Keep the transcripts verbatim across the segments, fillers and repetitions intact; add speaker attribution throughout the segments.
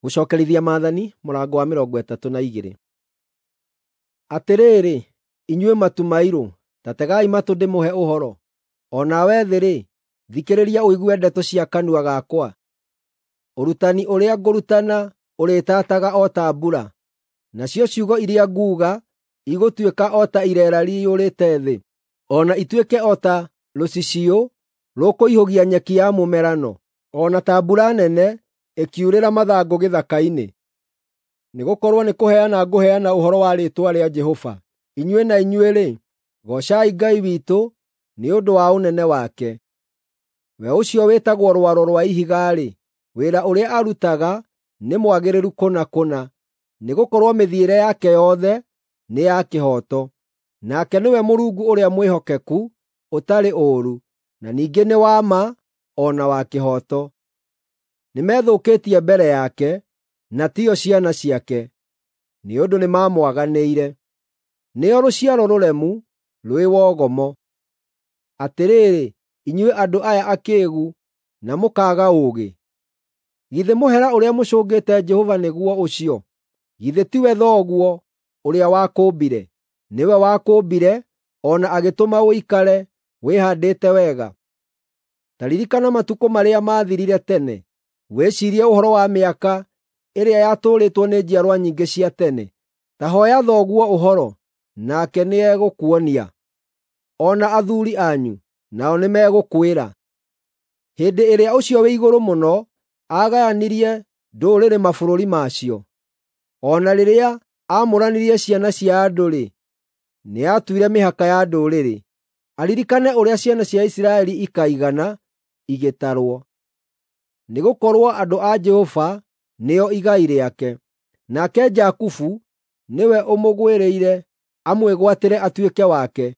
Speaker 1: Gũcookerithia Maathani mũrango wa mĩrongo ĩtatũ na igĩrĩ. Atĩrĩrĩ, inyuĩ matu mairũ, ta tegai matũ ndĩmũhe ũhoro; o nawe thĩ-rĩ, thikĩrĩria ũigue ndeto cia kanua gakwa. Ũrutani ũrĩa ngũrutana ũrĩtataga o ta mbura, nacio ciugo iria nguuga igũtuĩka o ta ireera rĩiyũrĩte thĩ, o na ituĩke o ta rũciciũ rũkũihũgia nyeki ya mũmerano, o na ta mbura nene ĩkiurĩra mathangũ gĩthaka-inĩ. Nĩgũkorwo nĩkũheana ngũheana ũhoro wa rĩĩtwa rĩa Jehova. Inyuĩ na inyuĩ-rĩ, goocai Ngai witũ nĩ ũndũ wa ũnene wake. We ũcio wĩtagwo Rwaro rwa Ihiga-rĩ, wĩra ũrĩa arutaga nĩ mwagĩrĩru kũna kũna, nĩgũkorwo mĩthiĩre yake yothe nĩ ya kĩhooto. Nake nĩwe Mũrungu ũrĩa mwĩhokeku, ũtarĩ ũũru, na ningĩ nĩ wa ma o na wa kĩhooto. Nĩmethũkĩtie mbere yake, na tiyo ciana ciake, nĩ ũndũ nĩmamwaganĩire. Nĩo rũciaro rũremu, rwĩ wogomo. Atĩrĩrĩ, inyuĩ andũ aya akĩĩgu na mũkaaga ũũgĩ, githĩ mũhera ũrĩa mũcũngĩte Jehova nĩguo ũcio? Githĩ tiwe Thoguo ũrĩa wakũũmbire? Nĩwe wakũũmbire o na agĩtũma ũikare wĩhaandĩte wega. Ta ririkana matukũ marĩa maathirire tene, wĩciirie ũhoro wa mĩaka ĩrĩa yatũũrĩtwo nĩ njiarwa nyingĩ cia tene. Ta hooya thoguo ũhoro, nake nĩegũkuonia, o na athuuri anyu, nao nĩmegũkwĩra. Hĩndĩ ĩrĩa Ũcio-wĩ-Igũrũ-Mũno aagayanirie ndũrĩrĩ mabũrũri macio, o na rĩrĩa aamũranirie ciana cia andũ-rĩ, nĩatuire mĩhaka ya ndũrĩrĩ, aririkane ũrĩa ciana cia Isiraeli ikaigana igĩtarwo. Nĩgũkorwo andũ a Jehova nĩo igai rĩake, nake Jakubu nĩwe ũmũgwĩrĩire amwĩgwatĩre atuĩke wake.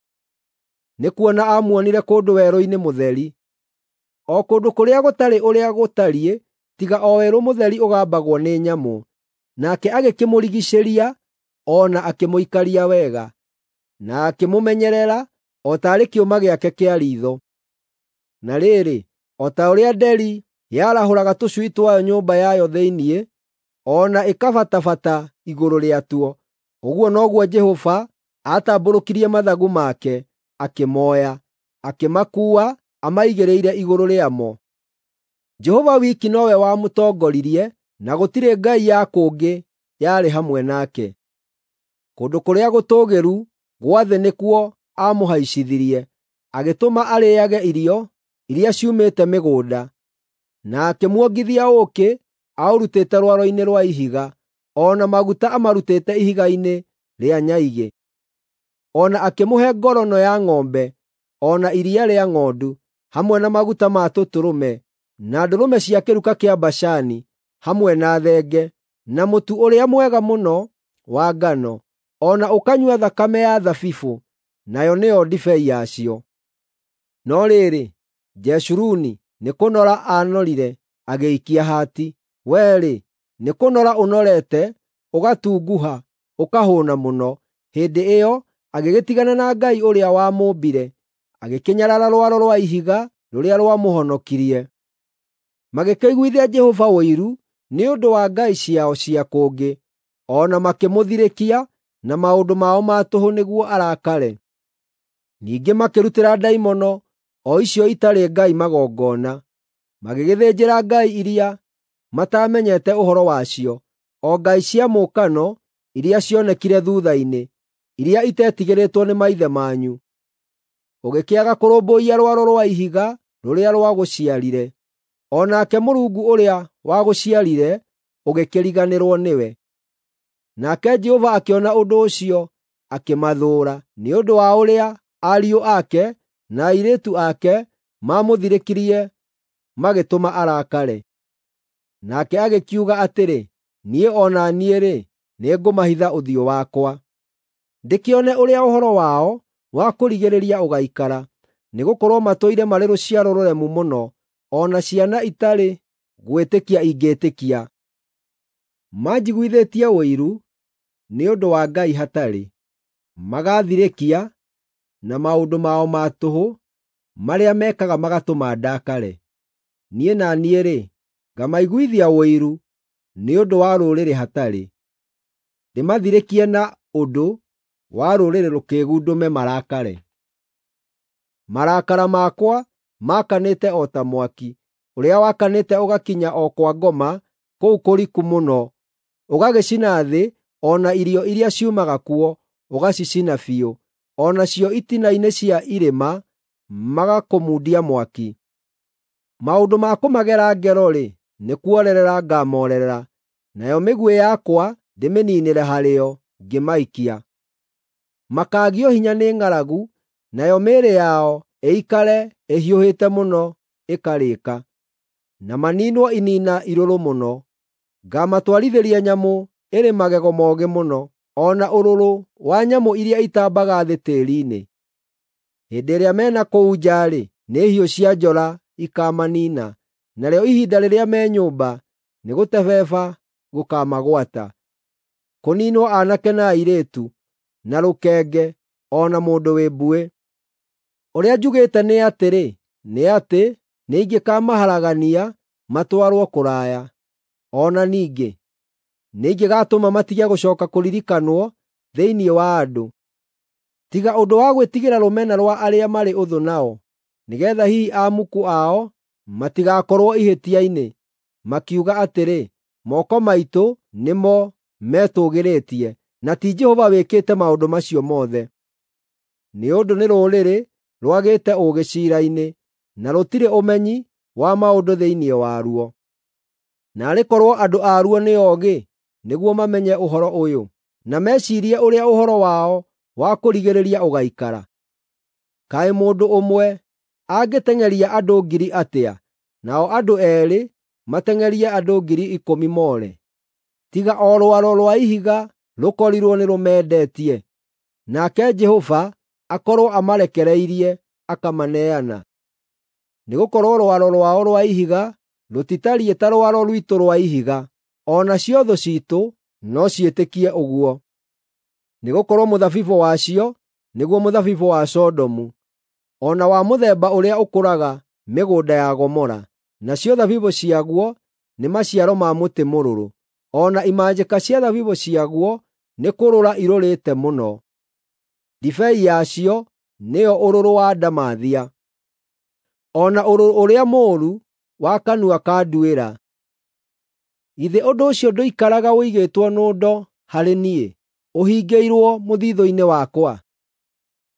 Speaker 1: Nĩkuona aamuonire kũndũ werũ-inĩ mũtheri, o kũndũ kũrĩa gũtarĩ ũrĩa gũtariĩ tiga o werũ mũtheri ũgambagwo nĩ nyamũ. Nake agĩkĩmũrigiicĩria o na akĩmũikaria wega, na akĩmũmenyerera o taarĩ kĩũma gĩake kĩa riitho. Na rĩrĩ, o ta ũrĩa nderi yarahũraga tũcui twayo nyũmba yayo thĩinĩ, o na ĩkabatabata igũrũ rĩatuo, ũguo noguo Jehova aatambũrũkirie mathagu make, akĩmooya, akĩmakuua amaigĩrĩire igũrũ rĩamo. Jehova wiki nowe wamũtongoririe, na gũtirĩ ngai ya kũngĩ yarĩ hamwe nake. Kũndũ kũrĩa gũtũũgĩru gwa thĩ nĩkuo aamũhaicithirie, agĩtũma arĩĩage irio iria ciumĩte mĩgũnda, na akĩmuongithia ũũkĩ aũrutĩte rwaro-inĩ rwa ihiga, o na maguta amarutĩte ihiga-inĩ rĩa nyaigĩ. O na akĩmũhe ngorono ya ng'ombe, o na iria rĩa ng'ondu, hamwe na maguta ma tũtũrũme, na ndũrũme cia kĩruka kĩa Bashani, hamwe na thenge, na mũtu ũrĩa mwega mũno wa ngano, o na ũkanyua thakame ya thabibũ, nayo nĩyo ndibei yacio. No rĩrĩ, Jeshuruni nĩkũnora aanorire agĩikia hati. Wee-rĩ, nĩkũnora ũnorete, ũgatunguha, ũkahũũna mũno. Hĩndĩ ĩyo agĩgĩtigana na Ngai ũrĩa wamũũmbire, agĩkĩnyarara Rwaro rwa Ihiga rũrĩa rwamũhonokirie. Magĩkĩiguithia Jehova ũiru nĩ ũndũ wa ngai ciao cia kũngĩ, o na makĩmũthirĩkia na maũndũ mao ma tũhũ nĩguo arakare. Ningĩ makĩrutĩra ndaimono o icio itarĩ ngai magongona, magĩgĩthĩnjĩra ngai iria mataamenyete ũhoro wacio, o ngai cia mũũkano iria cionekire thuutha-inĩ, iria iteetigĩrĩtwo nĩ maithe manyu. Ũgĩkĩaga kũrũmbũiya Rwaro rwa Ihiga rũrĩa rwagũciarire, o nake Mũrungu ũrĩa wagũciarire ũgĩkĩriganĩrwo nĩwe. Nake Jehova akĩona ũndũ ũcio akĩmathũũra, nĩ ũndũ wa ũrĩa ariũ ake na airĩtu ake maamũthirĩkirie magĩtũma arakare. Nake agĩkiuga atĩrĩ, “Niĩ o na niĩ-rĩ, nĩngũmahitha ũthiũ wakwa, ndĩkĩone ũrĩa ũhoro wao wa kũrigĩrĩria ũgaikara, nĩgũkorwo matũire marĩ rũciaro rũremu mũno, o na ciana itarĩ gwĩtĩkia ingĩĩtĩkia. Manjiguithĩtie ũiru nĩ ũndũ wa ngai hatarĩ, magaathirĩkia na maũndũ mao ma tũhũ marĩa mekaga magatũma ndakare. Niĩ na niĩ-rĩ, ngamaiguithia ũiru nĩ ũndũ wa rũrĩrĩ hatarĩ, ndĩmathirĩkie na ũndũ wa rũrĩrĩ rũkĩĩgu ndũme marakare. Marakara makwa maakanĩte o ta mwaki, ũrĩa wakanĩte ũgakinya o kwa ngoma kũu kũriku mũno, ũgagĩcina thĩ o na irio iria ciumaga kuo ũgacicina biũ, o nacio itina-inĩ cia irĩma magakũmundia mwaki. Maũndũ ma kũmagera ngero-rĩ, nĩ kuorerera ngamoorerera, nayo mĩguĩ yakwa ndĩmĩniinĩre harĩo ngĩmaikia. Makaagio hinya nĩ ng'aragu, nayo mĩĩrĩ yao ĩikare ĩhiũhĩte mũno ĩkarĩĩka, na maniinwo iniina irũrũ mũno. Ngaamatwarithĩria nyamũ ĩrĩ magego moogĩ mũno, o na ũrũrũ wa nyamũ iria itambaga thĩ tĩĩri-inĩ. Hĩndĩ ĩrĩa me na kũu nja-rĩ, nĩ hiũ cia njora ikaamaniina, narĩo ihinda rĩrĩa me nyũmba nĩgũtebeba gũkaamagwata. Kũniinwo aanake na airĩtu, na rũkenge, o na mũndũ wĩ mbuĩ. Ũrĩa njugĩte nĩ atĩrĩ, nĩ atĩ nĩingĩkamaharagania matwarwo kũraya. O na ningĩ nĩingĩgatũma matige gũcooka kũririkanwo thĩinĩ wa andũ. Tiga ũndũ wa gwĩtigĩra rũmena rwa arĩa marĩ ũthũ nao, nĩgeetha hihi amuku ao matigakorwo ihĩtia-inĩ, makiuga atĩrĩ, ‘Moko maitũ nĩmo metũũgĩrĩtie, na ti Jehova wĩkĩte maũndũ macio mothe.’ Nĩ ũndũ nĩ rũrĩrĩ rwagĩte ũũgĩ ciira-inĩ, na rũtirĩ ũmenyi wa maũndũ thĩinĩ waruo. Naarĩ korwo andũ aruo nĩ oogĩ nĩguo mamenye ũhoro ũyũ, na meciirie ũrĩa ũhoro wao wa kũrigĩrĩria ũgaikara. Kaĩ mũndũ ũmwe angĩteng'eria andũ ngiri atĩa, nao andũ eerĩ mateng'erie andũ ngiri ikũmi moore? Tiga o rwaro rwa ihiga rũkorirwo nĩrũmendetie, nake Jehova akorwo amarekereirie akamaneana. Nĩgũkorwo rwaro rwao rwa ihiga rũtitariĩ ta rwaro rwitũ rwa ihiga, o nacio thũ ciitũ no ciĩtĩkie ũguo. Nĩgũkorwo mũthabibũ wacio nĩguo mũthabibũ wa Sodomu, o na wa mũthemba ũrĩa ũkũraga mĩgũnda ya Gomora, nacio thabibũ ciaguo nĩ maciaro ma mũtĩ mũrũrũ, o na imanjĩka cia thabibũ ciaguo nĩ kũrũra irũrĩte mũno. Ndibei yacio nĩyo ũrũrũ wa ndamathia, o na ũrũrũ ũrĩa mũũru wa kanua ka nduĩra. Githĩ ũndũ ũcio ndũikaraga ũigĩtwo nũndo harĩ niĩ, ũhingĩirwo mũthiithũ-inĩ wakwa?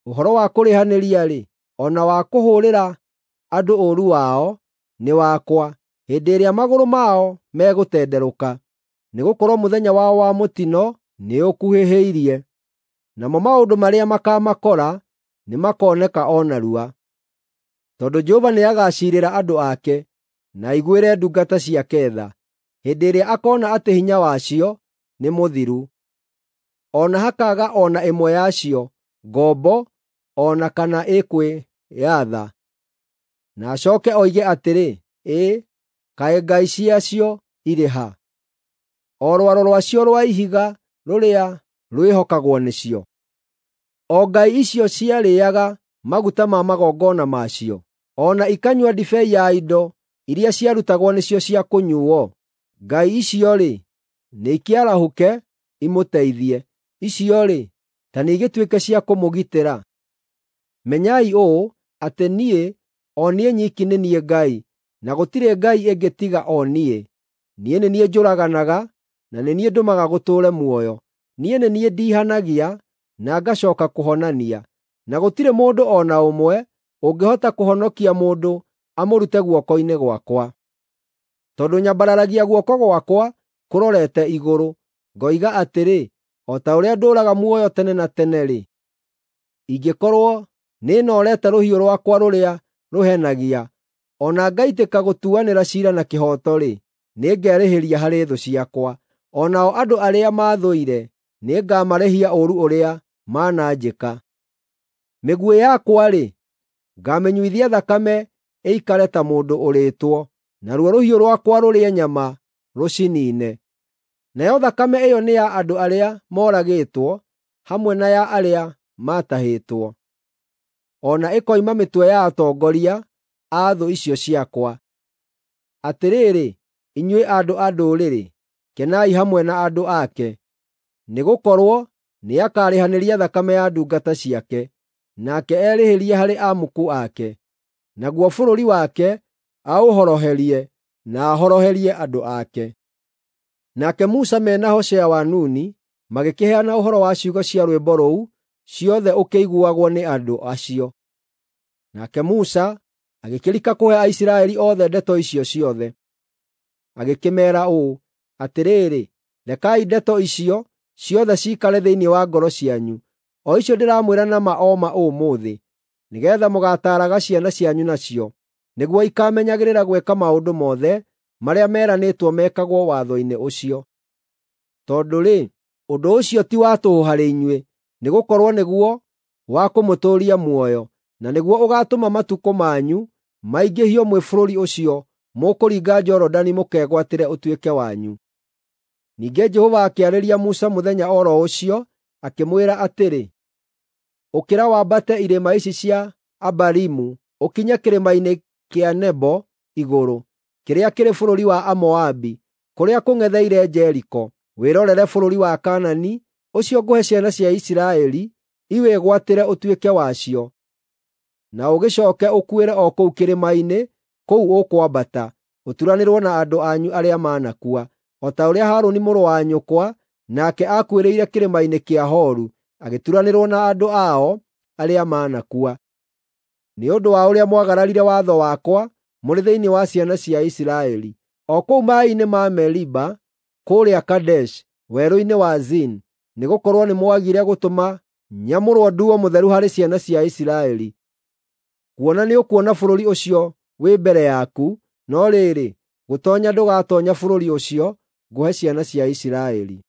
Speaker 1: Ũhoro wa kũrĩhanĩria-rĩ, o na wa kũhũũrĩra andũ ũũru wao nĩ wakwa, hĩndĩ ĩrĩa magũrũ mao megũtenderũka. Nĩgũkorwo mũthenya wao wa mũtino nĩũkuhĩhĩirie, namo maũndũ marĩa makaamakora nĩmakoneka o narua. Tondũ Jehova nĩagaciirĩra andũ ake, na aiguĩre ndungata ciake tha, hĩndĩ ĩrĩa akoona atĩ hinya wacio nĩ mũthiru, o na hakaaga o na ĩmwe yacio, ngombo o na kana ĩkwĩyatha. Na acooke oige atĩrĩ, “Ĩ, kaĩ ngai ciacio irĩ ha, o rwaro rwacio rwa ihiga rũrĩa rwĩhokagwo nĩcio, o ngai icio ciarĩĩaga maguta ma magongona macio, o na ikanyua ndibei ya indo iria ciarutagwo nĩcio cia kũnyuuo? Ngai icio-rĩ, nĩikĩarahũke imũteithie! Icio-rĩ, ta nĩigĩtuĩke cia kũmũgitĩra!” Menyai ũũ, atĩ niĩ, o niĩ nyiki nĩ niĩ Ngai, na gũtirĩ ngai ĩngĩ tiga o niĩ. Niĩ nĩ niĩ njũraganaga, na nĩ niĩ ndũmaga gũtũũre muoyo. Niĩ nĩ niĩ ndiihanagia na ngacooka kũhonania, na gũtirĩ mũndũ o na ũmwe ũngĩhota kũhonokia mũndũ amũrute guoko-inĩ gwakwa. Tondũ nyambararagia guoko gwakwa kũrorete igũrũ, ngoiga atĩrĩ, o ta ũrĩa ndũũraga muoyo tene na tene-rĩ, ingĩkorwo nĩnoorete rũhiũ rwakwa rũrĩa rũhenagia, o na ngaitĩka gũtuanĩra ciira na kĩhooto-rĩ, nĩngerĩhĩria harĩ thũ ciakwa, o nao andũ arĩa maathũire nĩngamarĩhia ũũru ũrĩa mananjĩka. Mĩguĩ yakwa-rĩ, ngaamĩnyuithia thakame ĩikare ta mũndũ ũrĩĩtwo, naruo rũhiũ rwakwa rũrĩe nyama rũciniine. Nayo thakame ĩyo nĩ ya andũ arĩa moragĩtwo, hamwe na ya arĩa maatahĩtwo, o na ĩkoima mĩtwe ya atongoria a thũ icio ciakwa. Atĩrĩrĩ, inyuĩ andũ a ndũrĩrĩ, kenai hamwe na andũ ake. Nĩgũkorwo nĩakarĩhanĩria thakame ya ndungata ciake, nake erĩhĩrie harĩ amuku ake. Naguo bũrũri wake aũhoroherie na ahoroherie andũ ake. Nake Musa mena Hoshea wa Nuni magĩkĩheana ũhoro wa ciugo cia rwĩmbo rũu ciothe ũkĩiguagwo nĩ andũ acio. Nake Musa agĩkĩrika kũhe Aisiraeli othe ndeto icio ciothe. Agĩkĩmeera ũũ, “Atĩrĩrĩ, rekai ndeto icio ciothe ciikare thĩinĩ wa ngoro cianyu, o icio ndĩramwĩra na ma o ma ũmũthĩ, nĩgeetha mũgaataaraga ciana cianyu nacio, nĩguo ikaamenyagĩrĩra gwĩka maũndũ mothe marĩa meranĩtwo mekagwo watho-inĩ ũcio. Tondũ-rĩ, ũndũ ũcio ti wa tũhũ harĩ inyuĩ, nĩgũkorwo nĩguo wa kũmũtũũria muoyo, na nĩguo ũgaatũma matukũ manyu maingĩhio mwĩ bũrũri ũcio mũkũringa Jorodani mũkegwatĩre ũtuĩke wanyu.” Ningĩ Jehova akĩarĩria Musa mũthenya o ro ũcio, akĩmwĩra atĩrĩ, “Ũkĩra wambate irĩma ici cia Abarimu ũkinye kĩrĩma-inĩ kĩa Nebo igũrũ, kĩrĩa kĩrĩ bũrũri wa Amoabi, kũrĩa kũng'etheire Jeriko, wĩrorere bũrũri wa Kaanani, ũcio ngũhe ciana cia Isiraeli iwĩgwatĩre ũtuĩke wacio. Na ũgĩcooke ũkuĩre o kũu kĩrĩma-inĩ kũu ũkwambata, ũturanĩrwo na andũ anyu arĩa manakua, o ta ũrĩa Harũni mũrũ wa nyũkwa nake aakuĩrĩire kĩrĩma-inĩ kĩa Horu, agĩturanĩrwo na andũ ao arĩa manakua. Nĩ ũndũ wa ũrĩa mwagararire watho wakwa mũrĩ thĩinĩ wa ciana cia Isiraeli, o kũu maaĩ-inĩ ma Meriba kũrĩa Kadeshi, werũ-inĩ wa Zini, nĩgũkorwo nĩmwagire gũtũma nyamũrwo nduo mũtheru harĩ ciana cia Isiraeli. Kuona nĩũkuona bũrũri ũcio wĩ mbere yaku, no rĩrĩ, gũtoonya ndũgatoonya bũrũri ũcio ngũhe ciana cia Isiraeli.”